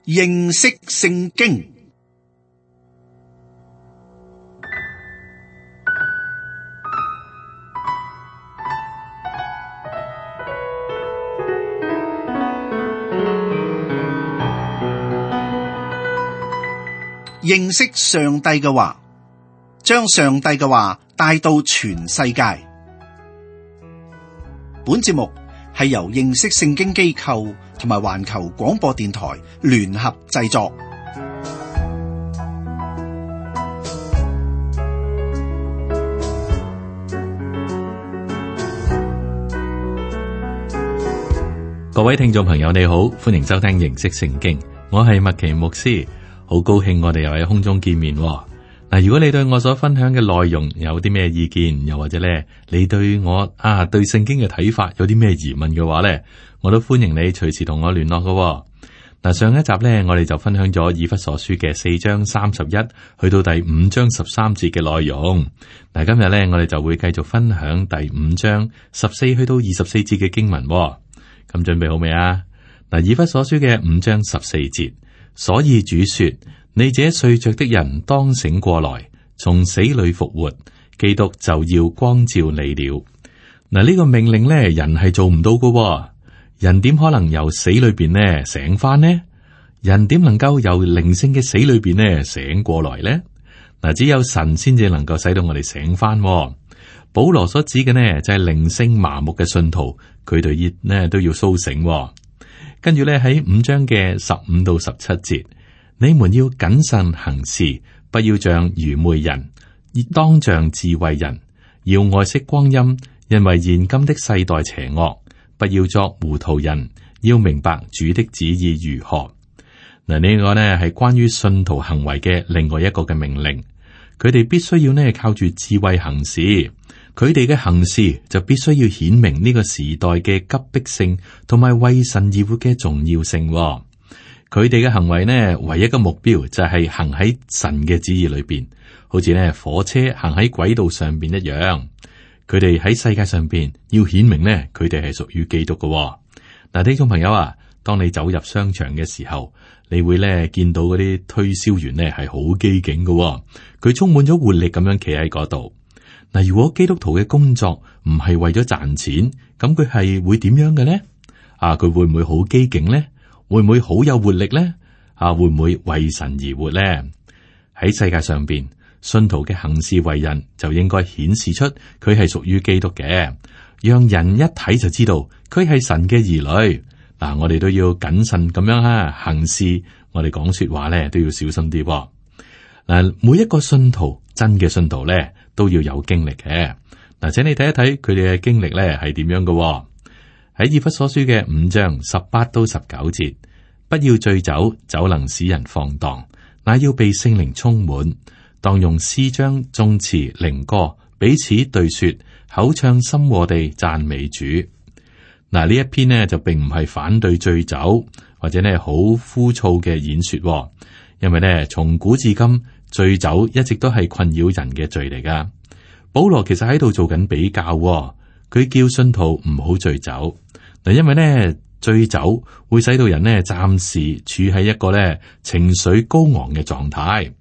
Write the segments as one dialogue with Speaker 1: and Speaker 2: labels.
Speaker 1: 認識聖經。認識上帝嘅話，將上帝嘅話帶到全世界。本節目係由認識聖經機構同埋環球廣播電台聯合製作。
Speaker 2: 各位聽眾朋友你好，歡迎收聽認識聖經，我係麥奇牧師。好高興我哋又喺空中見面嗱。如果你對我所分享嘅內容有啲咩意見，又或者咧你對我對聖經嘅睇法有啲咩疑問嘅話咧，我都歡迎你隨時同我聯絡嘅。嗱，上一集咧我哋就分享咗以弗所書嘅4章31去到第5章13節嘅內容。嗱，今日咧我哋就會繼續分享第5章14去到24節嘅經文。咁準備好未啊？嗱，以弗所書嘅5章14節。所以主說：你這睡着的人當醒過來，從死裏復活，基督就要光照你了。嗱，呢個命令咧，人係做唔到噶。人點可能由死裏邊呢醒翻呢？人點能夠由靈性嘅死裏邊呢醒過來呢？嗱，只有神先至能夠使到我哋醒翻。保羅所指嘅呢就係靈性麻木嘅信徒，佢哋呢都要蘇醒。跟住咧喺5章嘅15到17節，你們要謹慎行事，不要像愚昧人，當像智慧人，要愛惜光陰，因為現今的世代邪惡。不要作糊塗人，要明白主的旨意如何。嗱，呢個呢係關於信徒行為嘅另外一個嘅命令，佢哋必須要呢靠住智慧行事。佢哋嘅行事就必須要顯明呢個時代嘅急迫性，同埋為神而活嘅重要性。佢哋嘅行為呢，唯一嘅目標就係行喺神嘅旨意裏邊，好似呢火車行喺軌道上邊一樣。佢哋喺世界上邊要顯明呢，佢哋係屬於基督嘅。嗱，聽眾朋友啊，當你走入商場嘅時候，你會呢見到嗰啲推銷員呢係好機警嘅，佢充滿咗活力咁樣企喺嗰度。嗱，如果基督徒嘅工作唔係為咗賺錢，咁佢係會點樣嘅呢？佢會唔會好機警呢？會唔會好有活力呢？會唔會為神而活呢？喺世界上邊，信徒嘅行事為人就應該顯示出佢係屬於基督嘅，讓人一睇就知道佢係神嘅兒女。嗱，我哋都要謹慎咁樣行事，我哋講說話咧都要小心啲。嗱，每一個信徒，真嘅信徒咧，都要有經歷嘅。嗱，請你睇一睇佢哋嘅經歷咧係點樣嘅。喺以弗所書嘅5章18到19節，不要醉酒，酒能使人放蕩，乃要被聖靈充滿，當用詩章、頌詞、靈歌彼此對說，口唱心和地讚美主。嗱，呢一篇呢就並唔係反對醉酒或者呢好枯燥嘅演說，因為呢從古至今，醉酒一直都係困擾人嘅罪嚟噶。保羅其實喺度做緊比較，佢叫信徒唔好醉酒。嗱，因為呢醉酒會使到人呢暫時處喺一個呢情緒高昂嘅狀態，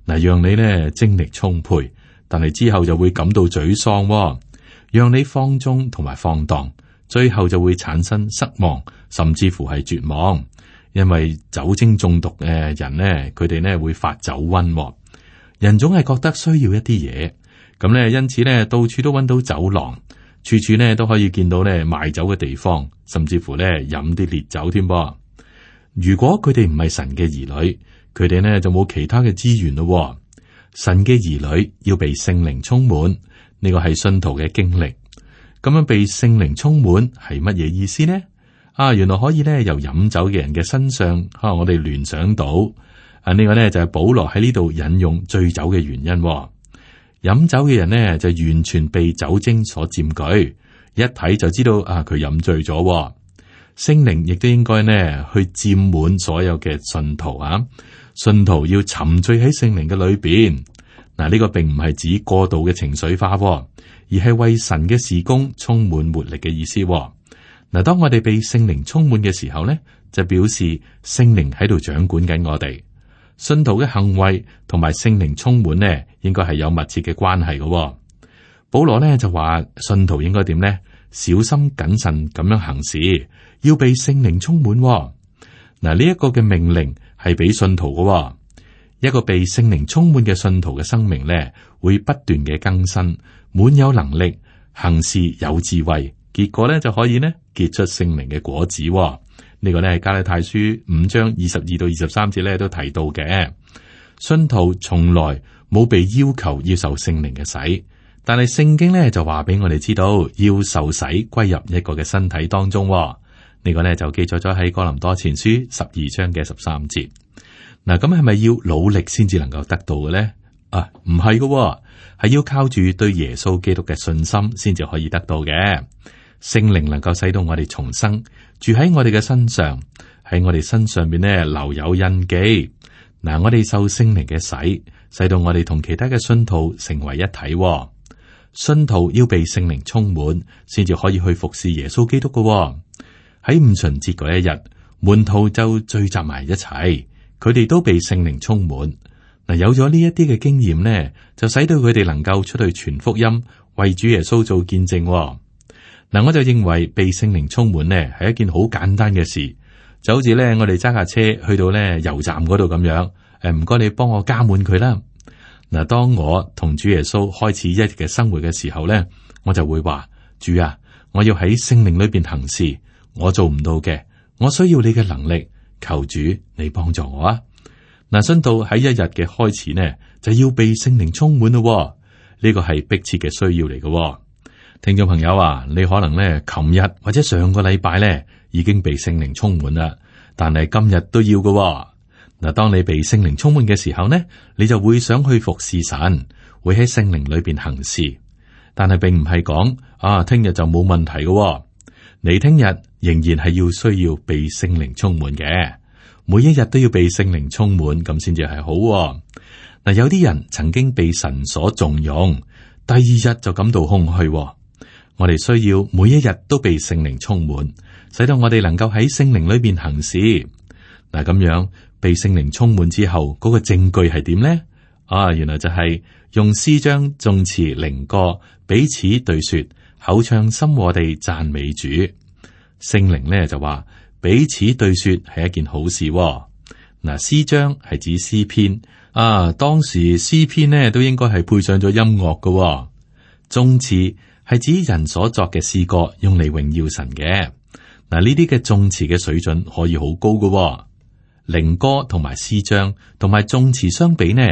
Speaker 2: 嗱，讓你呢精力充沛，但係之後就會感到沮喪，讓你放縱同埋放蕩，最後就會產生失望，甚至乎係絕望。因為酒精中毒嘅人呢，佢哋呢會發酒瘟。人總係覺得需要一啲嘢，咁呢，因此呢，到處都揾到酒廊，處處呢都可以見到呢賣酒嘅地方，甚至乎呢飲啲烈酒添噃。如果佢哋唔係神嘅兒女，佢哋呢就冇其他嘅資源咯。神嘅兒女要被聖靈充滿，呢個係信徒嘅經歷。咁樣被聖靈充滿係乜嘢意思呢？原來可以呢由飲酒嘅人嘅身上，我哋聯想到。呢個呢就係保羅喺呢度引用醉酒嘅原因。飲酒嘅人呢就完全被酒精所佔據，一睇就知道佢飲醉咗。聖靈亦都應該呢去佔滿所有嘅信徒啊！信徒要沉醉喺聖靈嘅裏邊。嗱，呢個並唔係指過度嘅情緒化，而係為神嘅事工充滿活力嘅意思。嗱，當我哋被聖靈充滿嘅時候呢，就表示聖靈喺度掌管緊我哋。信徒嘅行為同埋聖靈充滿呢，應該係有密切嘅關係嘅。保羅呢就話，信徒應該點呢？小心謹慎咁樣行事，要被聖靈充滿。嗱，呢一個嘅命令係俾信徒嘅。一個被聖靈充滿嘅信徒嘅生命呢，會不斷嘅更新，滿有能力，行事有智慧，結果呢就可以呢結出聖靈嘅果子。呢個呢係加拉太書5章22到23節呢都提到嘅。信徒從來冇被要求要受聖靈嘅洗，但係聖經呢就話俾我哋知道要受洗歸入一個嘅身體當中。呢個呢就記載咗喺哥林多前書12章嘅13節。嗱，咁係咪要努力先至能夠得到嘅呢？啊，唔係嘅，係要靠住對耶穌基督嘅信心先至可以得到嘅。聖靈能夠使到我哋重生，住喺我哋嘅身上，喺我哋身上邊呢留有印記。嗱，我哋受聖靈嘅洗，使到我哋同其他嘅信徒成為一體。信徒要被聖靈充滿，先至可以去服侍耶穌基督嘅。喺五旬節嗰一日，門徒就聚集埋一齊，佢哋都被聖靈充滿。嗱，有咗呢一啲嘅經驗呢，就使到佢哋能夠出去傳福音，為主耶穌做見證。嗱，我就認為被聖靈充滿呢係一件好簡單嘅事，就好似咧我哋揸架車去到咧油站嗰度咁樣。唔該，你幫我加滿佢啦。嗱，當我同主耶穌開始一日嘅生活嘅時候咧，我就會話：主啊，我要喺聖靈裏邊行事，我做唔到嘅，我需要你嘅能力，求主你幫助我啊！嗱，信徒喺一日嘅開始呢，就要被聖靈充滿咯。呢個係迫切嘅需要嚟嘅。聽眾朋友啊，你可能咧，琴日或者上個禮拜咧，已經被聖靈充滿啦，但係今日都要嘅。嗱，當你被聖靈充滿嘅時候呢，你就會想去服侍神，會喺聖靈裏邊行事。但係並唔係講啊，聽日就冇問題嘅。你聽日仍然係要需要被聖靈充滿嘅，每一日都要被聖靈充滿，咁先至係好。嗱，有啲人曾經被神所重用，第二日就感到空虛。我哋需要每一日都被聖靈充滿，使到我哋能夠喺聖靈裏邊行事。嗱，咁樣被聖靈充滿之後，嗰個證據係點呢？啊，原來就係用詩章、頌詞、靈歌彼此對說，口唱心和地讚美主。聖靈呢就話彼此對說係一件好事。嗱，詩章係指詩篇啊，當時詩篇呢都應該係配上咗音樂嘅。頌詞係指人所作嘅詩歌，用嚟榮耀神嘅。嗱，呢啲嘅頌詞嘅水準可以好高嘅。靈歌同埋詩章同埋頌詞相比呢，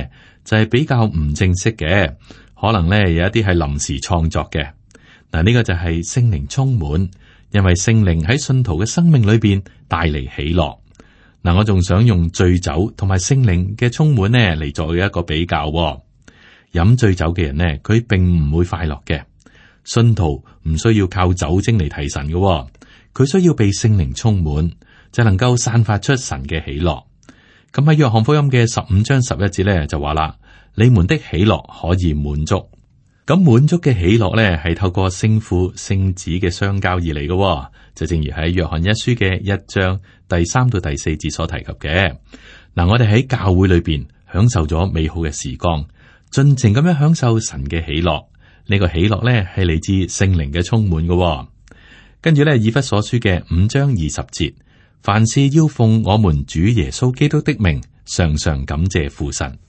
Speaker 2: 就係比較唔正式嘅，可能呢有一啲係臨時創作嘅。嗱，呢個就係聖靈充滿，因為聖靈喺信徒嘅生命裏邊帶嚟喜樂。嗱，我仲想用醉酒同埋聖靈嘅充滿呢嚟作一個比較。飲醉酒嘅人呢，佢並唔會快樂嘅。信徒唔需要靠酒精嚟提神嘅，佢需要被聖靈充滿，就能夠散發出神嘅喜樂。咁喺約翰福音嘅15章11節咧就話啦：你們的喜樂可以滿足。咁滿足嘅喜樂咧係透過聖父聖子嘅相交而嚟嘅，就正如喺約翰一書嘅1章第3到第4節所提及嘅。嗱，我哋喺教會裏邊享受咗美好嘅時光，盡情咁樣享受神嘅喜樂。呢個喜樂咧係嚟自聖靈嘅充滿嘅。跟住咧，以弗所書嘅5章20節，凡事要奉我們主耶穌基督的名，常常感謝父神。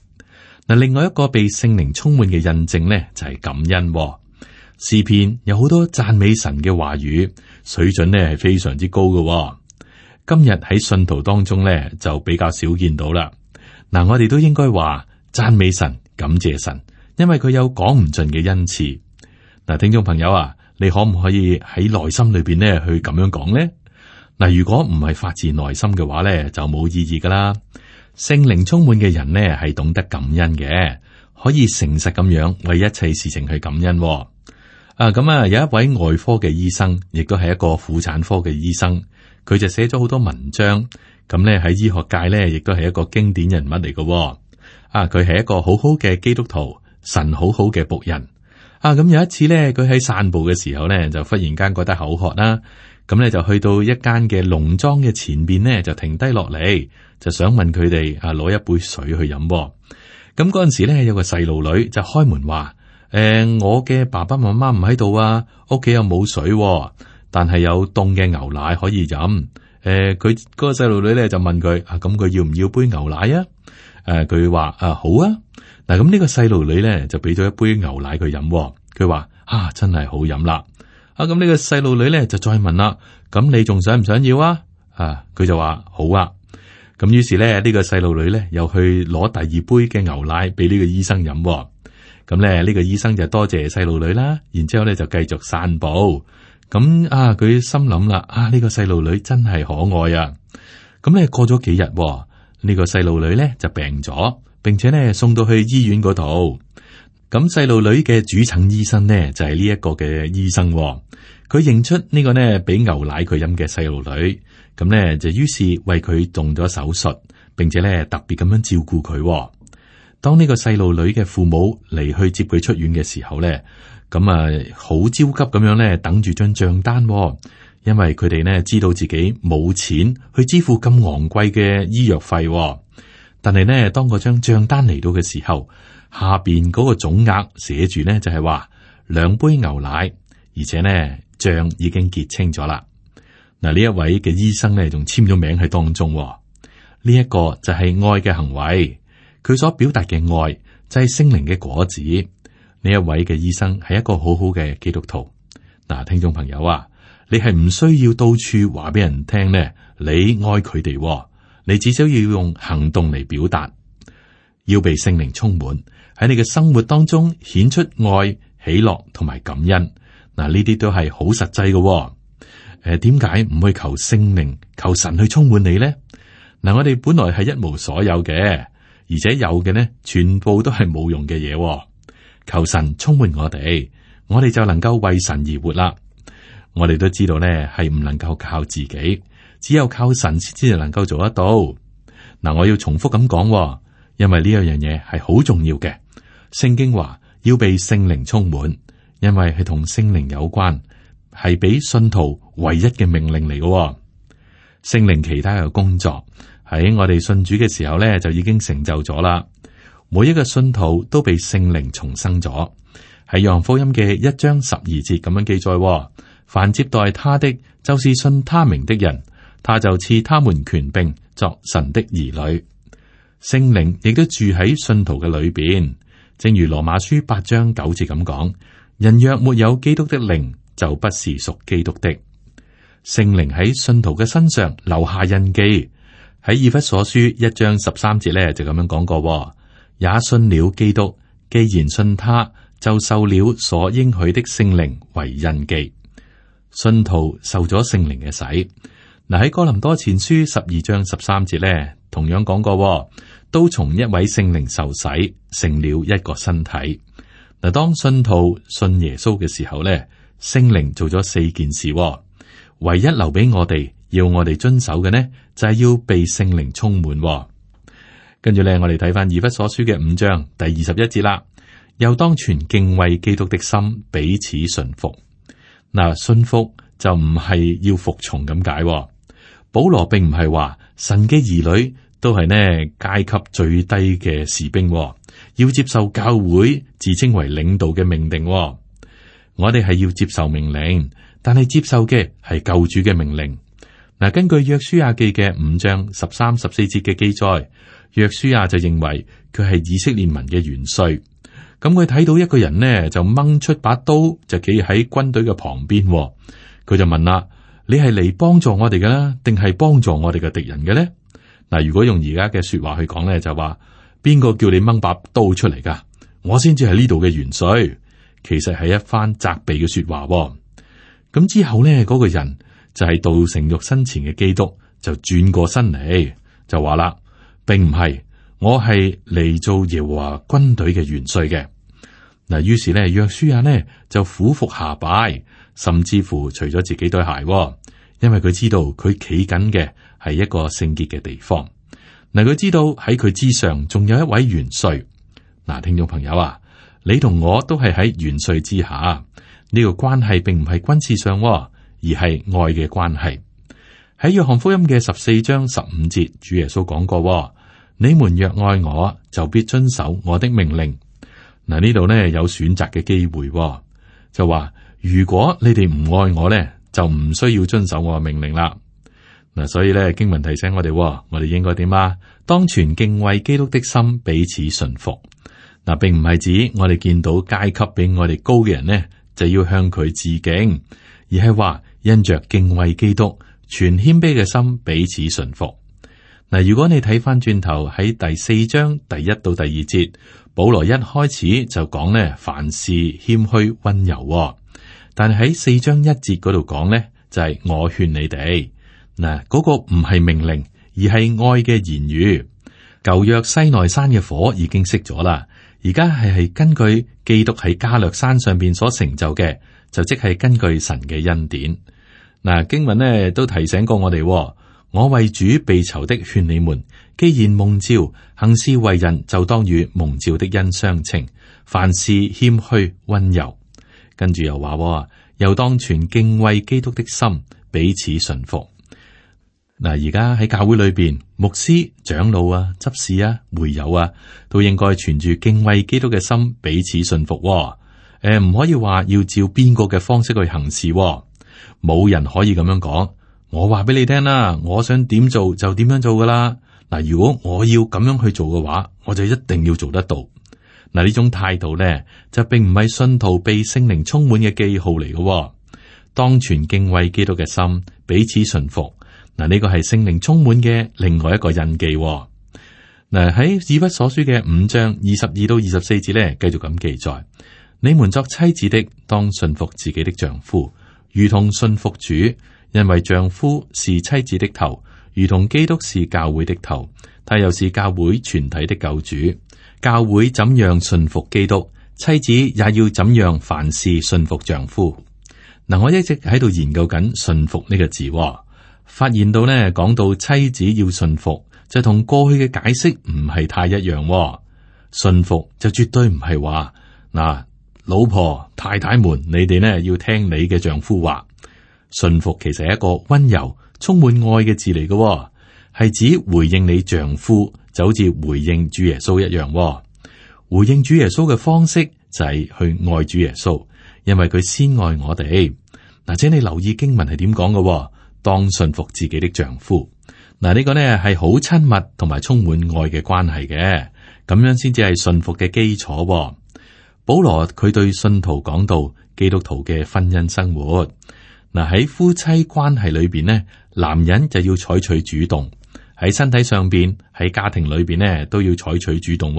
Speaker 2: 嗱，另外一個被聖靈充滿嘅印證呢，就係感恩。詩篇有好多讚美神嘅話語，水準呢係非常之高嘅。今日喺信徒當中呢，就比較少見到啦。嗱，我哋都應該話讚美神、感謝神，因為佢有講唔盡嘅恩賜。嗱，聽眾朋友啊，你可唔可以喺內心裏邊呢去咁樣講呢？嗱，如果唔係發自內心嘅話呢，就冇意義噶啦。聖靈充滿嘅人呢，係懂得感恩嘅，可以誠實咁樣為一切事情去感恩。咁啊，有一位外科嘅醫生，亦都係一個婦產科嘅醫生，佢就寫咗好多文章。咁呢喺醫學界呢，亦都係一個經典人物嚟嘅。佢係一個好好嘅基督徒，神好好嘅僕人。咁有一次呢，佢喺散步嘅時候呢，就忽然間覺得口渴啦。咁咧就去到一間嘅農莊嘅前邊呢，就停低落嚟，就想問佢哋攞一杯水去飲。咁嗰陣時咧，有個細路女就開門話：我嘅爸爸媽媽唔喺度啊，屋企又冇水，但係有凍嘅牛奶可以飲。佢嗰個細路女咧就問佢：咁佢要唔要杯牛奶啊？佢話：好啊。嗱，咁呢個細路女咧就俾咗一杯牛奶佢飲。佢話：真係好飲啦。咁呢個細路女咧就再問啦：咁你仲想唔想要啊？佢就話：好啊。咁於是咧呢個細路女咧又去攞第二杯嘅牛奶俾呢個醫生飲。咁咧呢個醫生就多謝細路女啦，然之後咧就繼續散步。咁佢心諗啦，呢個細路女真係可愛啊。咁咧過咗幾日，呢個細路女咧就病咗，並且咧送到去醫院嗰度。咁細路女嘅主診醫生呢，就係呢一個嘅醫生。佢認出呢個呢俾牛奶佢飲嘅細路女，咁呢就於是為佢動咗手術，並且呢特別咁樣照顧佢。當呢個細路女嘅父母嚟去接佢出院嘅時候呢，咁好焦急咁樣呢等住張賬單，因為佢哋呢知道自己冇錢去支付咁昂貴嘅醫藥費。但係呢，當嗰張賬單嚟到嘅時候，下邊嗰個總額寫住呢就係話2杯牛奶，而且呢賬已經結清咗啦。嗱，呢一位嘅醫生呢仲簽咗名喺當中。呢一個就係愛嘅行為，佢所表達嘅愛就係聖靈嘅果子。呢一位嘅醫生係一個好好嘅基督徒。嗱，聽眾朋友啊，你係唔需要到處話俾人聽呢，你愛佢哋，你只需要用行動嚟表達，要被聖靈充滿喺你嘅生活當中顯出愛、喜樂同埋感恩。嗱，呢啲都係好實際嘅。點解唔去求聖靈、求神去充滿你呢？嗱，我哋本來係一無所有嘅，而且有嘅呢，全部都係冇用嘅嘢。求神充滿我哋就能夠為神而活啦。我哋都知道呢，係唔能夠靠自己，只有靠神先至能夠做得到。嗱，我要重複咁講，因為呢樣嘢係好重要嘅。聖經話要被聖靈充滿，因為係同聖靈有關，係俾信徒唯一嘅命令嚟嘅。聖靈其他嘅工作喺我哋信主嘅時候呢，就已經成就咗啦。每一個信徒都被聖靈重生咗。喺約翰福音嘅1章12節咁樣記載：凡接待他的，就是信他名的人，他就賜他們權柄作神的兒女。聖靈亦都住喺信徒嘅裏邊，正如羅馬書8章9節咁講：人若沒有基督的靈，就不是屬基督的。聖靈喺信徒嘅身上留下印記。喺以弗所書1章13節咧就咁樣講過：也信了基督，既然信他，就受了所應許的聖靈為印記。信徒受咗聖靈嘅洗。嗱，喺哥林多前書12章13節咧，同樣講過，都從一位聖靈受洗，成了一個身體。嗱，當信徒信耶穌嘅時候咧，聖靈做咗4件事，唯一留俾我哋要我哋遵守嘅呢，就係要被聖靈充滿。跟住咧，我哋睇翻以弗所書嘅5章第21節啦，又當存敬畏基督的心，彼此順服。嗱，順服就唔係要服從咁解。保羅並唔係話神嘅兒女都係呢階級最低嘅士兵，要接受教會自稱為領導嘅命令。我哋係要接受命令，但係接受嘅係救主嘅命令。嗱，根據約書亞記嘅5章13、14節嘅記載，約書亞就認為佢係以色列民嘅元帥。咁佢睇到一個人呢，就掹出把刀，就企喺軍隊嘅旁邊。佢就問啦：你係嚟幫助我哋嘅啦，定係幫助我哋嘅敵人嘅咧？嗱，如果用而家嘅說話去講咧，就話邊個叫你掹把刀出嚟噶？我先至係呢度嘅元帥。其實係一番責備嘅說話。咁之後咧，嗰個人就係道成肉身前嘅基督，就轉過身嚟，就話啦，並唔係。我係嚟做耶和華軍隊嘅元帥嘅。嗱，於是咧，約書亞呢就俯伏下拜，甚至乎除咗自己對鞋，因為佢知道佢企緊嘅係一個聖潔嘅地方。嗱，佢知道喺佢之上仲有一位元帥。嗱，聽眾朋友啊，你同我都係喺元帥之下，呢個關係並唔係軍事上，而而係愛嘅關係。喺約翰福音嘅14章15節，主耶穌講過：你們若愛我，就必遵守我的命令。嗱，呢度呢有選擇嘅機會，就話如果你哋唔愛我呢，就唔需要遵守我嘅命令啦。嗱，所以咧經文提醒我哋，我哋應該點啊？當存敬畏基督的心，彼此順服。嗱，並唔係指我哋見到階級比我哋高嘅人呢，就要向佢致敬，而係話因着敬畏基督，全謙卑嘅心彼此順服。嗱，如果你睇翻轉頭喺第4章第1到第2節，保羅一開始就講呢，凡事謙虛溫柔。但係喺4章1節嗰度講呢，就係我勸你哋。嗱，嗰個唔係命令，而係愛嘅言語。舊約西奈山嘅火已經熄咗啦，而家係根據基督喺加略山上邊所成就嘅，就即係根據神嘅恩典。嗱，經文呢都提醒過我哋，我為主被囚的勸你們，既然蒙召，行事為人就當與蒙召的恩相稱，凡事謙虛溫柔。跟住又話，又當存敬畏基督的心，彼此順服。嗱，而家喺教會裏邊，牧師、長老啊、執事啊、會友啊，都應該存住敬畏基督嘅心，彼此順服。唔可以話要照邊個嘅方式去行事。冇人可以咁樣講。我話俾你聽啦，我想點做就點樣做噶啦。嗱，如果我要咁樣去做嘅話，我就一定要做得到。嗱，呢種態度咧，就並唔係信徒被聖靈充滿嘅記號嚟嘅。當存敬畏基督嘅心，彼此順服。嗱，呢個係聖靈充滿嘅另外一個印記。嗱，喺以弗所書嘅5章22到24節咧，繼續咁記載：你們作妻子的，當順服自己的丈夫，如同順服主，因為丈夫是妻子的頭，如同基督是教會的頭，他又是教會全體的救主。教會怎樣順服基督，妻子也要怎樣凡事順服丈夫。嗱，我一直喺度研究緊順服呢個字。發現到呢，講到妻子要順服，就同過去嘅解釋唔係太一樣。順服就絕對唔係話嗱，老婆太太們，你哋呢要聽你嘅丈夫話。順服其實係一個溫柔、充滿愛嘅字嚟嘅，係指回應你丈夫，就好似回應主耶穌一樣。回應主耶穌嘅方式就係去愛主耶穌，因為佢先愛我哋。嗱，請你留意經文係點講嘅。當順服自己的丈夫，嗱，呢個呢係好親密同埋充滿愛嘅關係嘅，咁樣先至係順服嘅基礎。保羅佢對信徒講到基督徒嘅婚姻生活，嗱，喺夫妻關係裏邊呢，男人就要採取主動，喺身體上邊，喺家庭裏邊呢都要採取主動。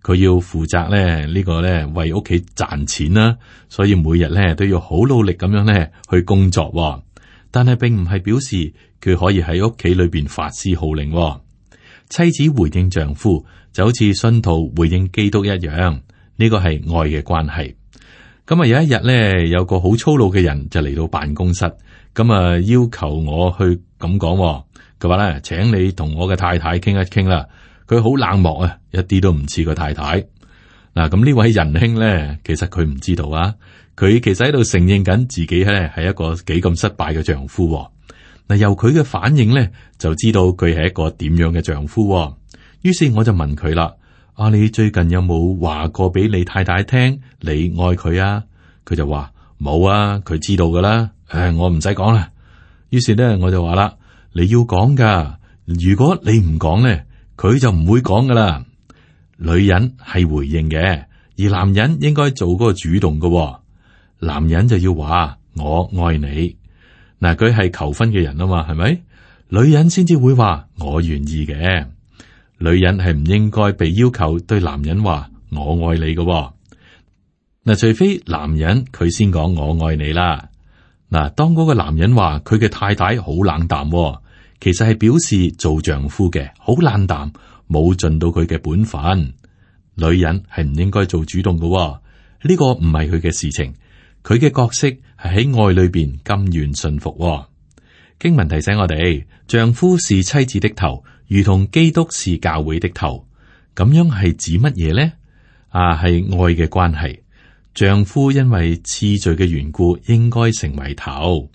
Speaker 2: 佢要負責咧呢個呢為屋企賺錢啦，所以每日呢都要好努力咁樣呢去工作。但係並唔係表示佢可以喺屋企裏邊發施號令。妻子回應丈夫就好似信徒回應基督一樣，呢個係愛嘅關係。咁啊，有一日咧，有個好粗魯嘅人就嚟到辦公室，咁啊要求我去咁講，佢話咧，請你同我嘅太太傾一傾啦。佢好冷漠啊，一啲都唔似個太太。嗱，咁呢位仁兄咧，其實佢唔知道啊。佢其實喺度承認緊自己咧係一個幾咁失敗嘅丈夫。嗱，由佢嘅反應咧，就知道佢係一個點樣嘅丈夫。於是我就問佢啦：你最近有冇話過俾你太太聽你愛佢啊？佢就話冇啊，佢知道噶啦。我唔使講啦。於是咧，我就話啦：你要講噶，如果你唔講咧，佢就唔會講噶啦。女人係回應嘅，而男人應該做嗰個主動噶。男人就要話我愛你，嗱，佢係求婚嘅人啊嘛，係咪？女人先至會話我願意嘅。女人係唔應該被要求對男人話我愛你嘅。嗱，除非男人佢先講我愛你啦。嗱，當嗰個男人話佢嘅太太好冷淡，其實係表示做丈夫嘅好冷淡，冇盡到佢嘅本分。女人係唔應該做主動嘅，呢個唔係佢嘅事情。佢嘅角色係喺愛裏邊甘願順服。經文提醒我哋，丈夫是妻子的頭，如同基督是教會的頭。咁樣係指乜嘢呢？係愛嘅關係。丈夫因為次序嘅緣故，應該成為頭。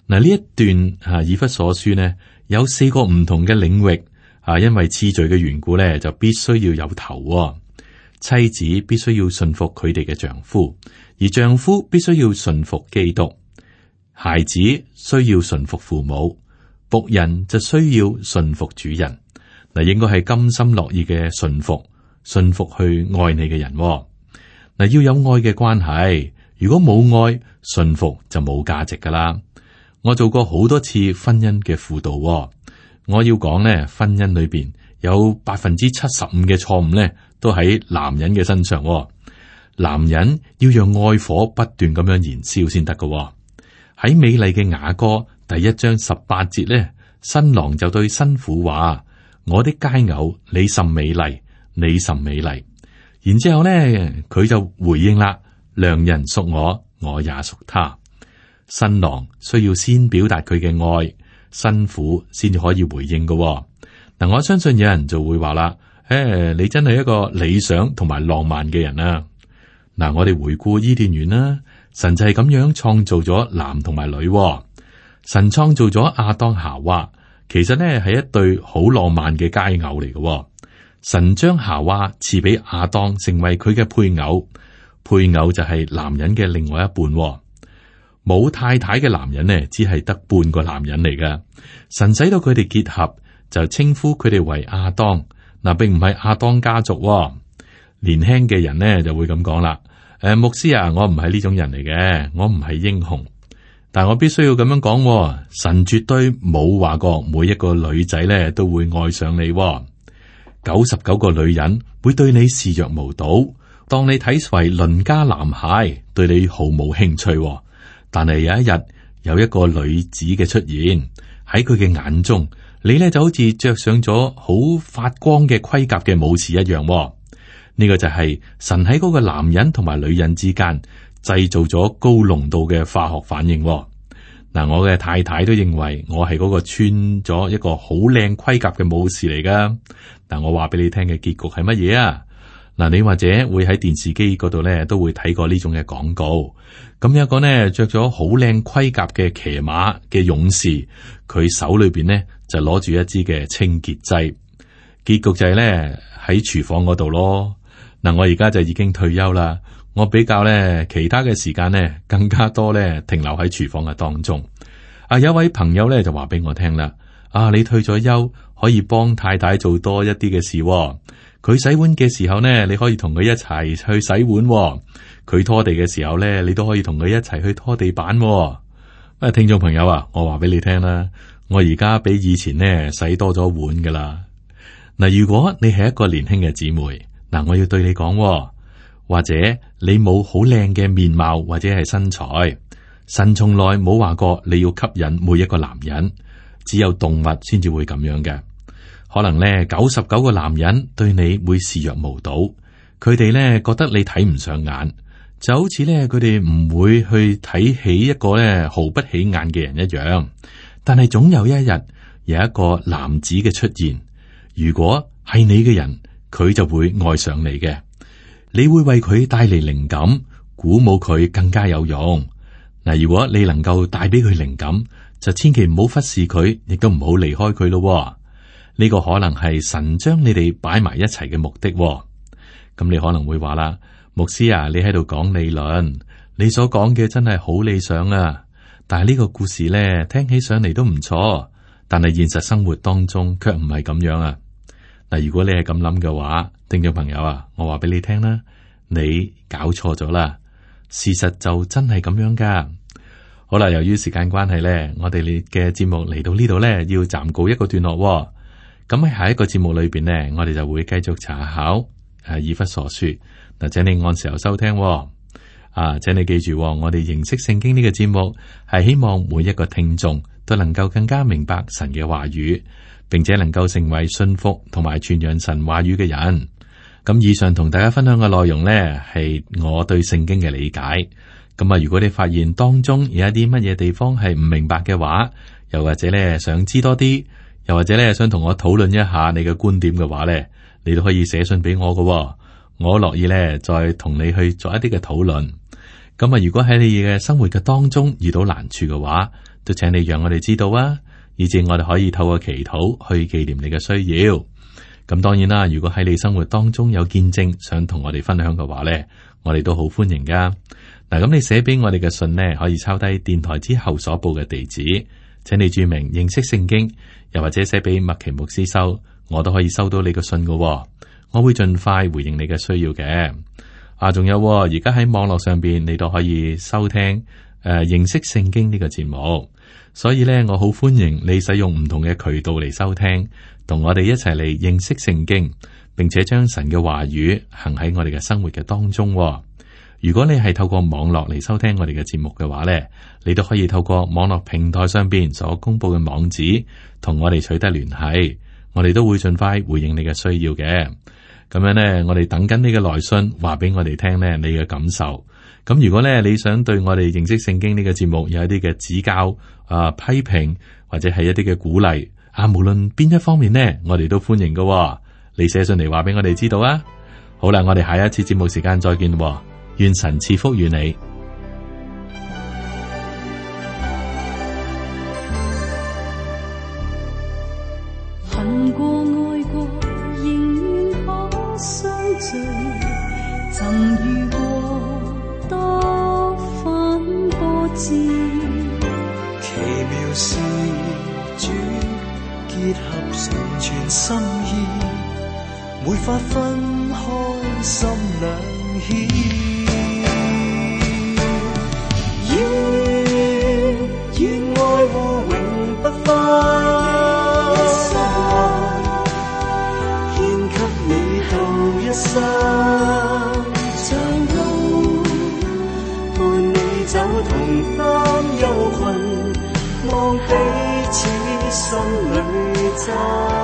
Speaker 2: 嗱，呢一段以弗所書呢，有4個唔同嘅領域因為次序嘅緣故呢，就必須要有頭。妻子必須要順服佢哋嘅丈夫，而丈夫必須要順服基督。孩子需要順服父母，僕人就需要順服主人。嗱，應該係甘心樂意嘅順服去愛你嘅人。嗱，要有愛嘅關係，如果冇愛，順服就冇價值噶啦。我做過好多次婚姻嘅輔導，我要講呢，婚姻裏邊有75%嘅錯誤呢，都喺男人嘅身上。男人要讓愛火不斷咁樣燃燒先得噶。喺美麗嘅雅歌第1章18節呢，新郎就對新婦話：我的佳偶，你甚美麗，你甚美麗。然之後呢，佢就回應啦：良人屬我，我也屬他。新郎需要先表達佢嘅愛，新婦先至可以回應嘅。嗱，我相信有人就會話啦：你真係一個理想同埋浪漫嘅人啊！嗱，我哋回顧伊甸園啦，神就係咁樣創造咗男同埋女。神創造咗亞當夏娃，其實呢係一對好浪漫嘅佳偶嚟嘅。神將夏娃賜俾亞當成為佢嘅配偶，配偶就係男人嘅另外一半。冇太太嘅男人呢，只係得半個男人嚟㗎。神使到佢哋結合，就稱呼佢哋為亞當。嗱，並唔係亞當家族。年輕嘅人呢就會咁講啦。牧師啊，我唔係呢種人嚟嘅，我唔係英雄。但我必須要咁樣講，神絕對冇話過每一個女仔呢都會愛上你。99個女人會對你視若無睹，當你睇為鄰家男孩，對你毫無興趣。但係有一日有一個女子嘅出現喺佢嘅眼中，你呢就好似着上咗好發光嘅盔甲嘅武士一樣。呢個就係神喺嗰個男人同埋女人之間製造咗高濃度嘅化學反應。嗱，我嘅太太都認為我係嗰個穿咗一個好靚盔甲嘅武士嚟噶。但我話俾你聽嘅結局係乜嘢啊？嗱，你或者會喺電視機嗰度咧都會睇過呢種嘅廣告。咁有一個呢着咗好靚盔甲嘅騎馬嘅勇士，佢手裏邊呢就攞住一支嘅清潔劑。結局就係咧喺廚房嗰度咯。嗱，我而家就已經退休啦，我比較咧其他嘅時間呢更加多咧停留喺廚房嘅當中。有位朋友咧就話俾我聽啦，你退咗休可以幫太太做多一啲嘅事。佢洗碗嘅時候呢，你可以同佢一齊去洗碗。佢拖地嘅時候呢，你都可以同佢一齊去拖地板。聽眾朋友啊，我話俾你聽啦，我而家比以前呢洗多咗碗噶啦。嗱，如果你係一個年輕嘅姊妹，嗱，我要對你講，或者你冇好靚嘅面貌或者係身材，神從來冇話過你要吸引每一個男人，只有動物先至會咁樣嘅。可能呢99個男人對你會視若無睹，佢哋呢覺得你睇唔上眼，就好似呢佢哋唔會去睇起一個呢毫不起眼嘅人一樣。但係總有一日有一個男子嘅出現，如果係你嘅人，佢就會愛上你嘅，你會為佢帶嚟靈感，鼓舞佢更加有用。嗱，如果你能夠帶俾佢靈感，就千祈唔好忽視佢，亦都唔好離開佢咯。呢個可能係神將你哋擺埋一齊嘅目的。咁你可能會話啦，牧師啊，你喺度講理論，你所講嘅真係好理想啊。但係呢個故事咧，聽起上嚟都唔錯，但係現實生活當中卻唔係咁樣啊。嗱，如果你係咁諗嘅話，聽眾朋友啊，我話俾你聽啦，你搞錯咗啦。事實就真係咁樣噶。好啦，由於時間關係咧，我哋嘅節目嚟到呢度咧，要暫告一個段落。咁喺下一個節目裏邊呢，我哋就會繼續查考以弗所書。嗱，請你按時候收聽。請你記住，我哋認識聖經呢個節目係希望每一個聽眾都能夠更加明白神嘅話語，並且能夠成為信服同埋傳揚神話語嘅人。咁以上同大家分享嘅內容呢，係我對聖經嘅理解。咁如果你發現當中有一啲乜嘢地方係唔明白嘅話，又或者咧想知多啲，又或者咧想同我討論一下你嘅觀點嘅話咧，你都可以寫信俾我㗎。我樂意咧再同你去做一啲嘅討論。咁啊，如果喺你嘅生活嘅當中遇到難處嘅話，都請你讓我哋知道啊，以致我哋可以透過祈禱去紀念你嘅需要。咁當然啦，如果喺你生活當中有見證想同我哋分享嘅話呢，我哋都好歡迎噶。嗱，咁你寫俾我哋嘅信呢，可以抄低電台之後所報嘅地址，請你注明認識聖經，又或者寫俾麥奇牧師收，我都可以收到你嘅信噶。我會盡快回應你嘅需要嘅。仲有而家喺網絡上邊，你都可以收聽認識聖經呢個節目。所以呢，我好歡迎你使用唔同嘅渠道嚟收聽，同我哋一齊嚟認識聖經，並且將神嘅話語行喺我哋嘅生活嘅當中。如果你係透過網絡嚟收聽我哋嘅節目嘅話呢，你都可以透過網絡平台上邊所公布嘅網址，同我哋取得聯繫，我哋都會盡快回應你嘅需要嘅。咁樣呢，我哋等緊你嘅來信，話俾我哋聽呢，你嘅感受。咁如果呢，你想對我哋認識聖經呢個節目有一啲嘅指教、批評或者係一啲嘅鼓勵無論邊一方面呢，我哋都歡迎㗎。你寫信嚟話俾我哋知道啊。好啦，我哋下一次節目時間再見咯。願神賜福與你。
Speaker 3: 恨過愛過，仍願可相聚，曾遇過多番波折，
Speaker 4: 奇妙是主結合成全心意，沒法分開心兩險。願愛護永不分，獻給你到一生，長路伴你走，同擔憂困，望彼此心裏真。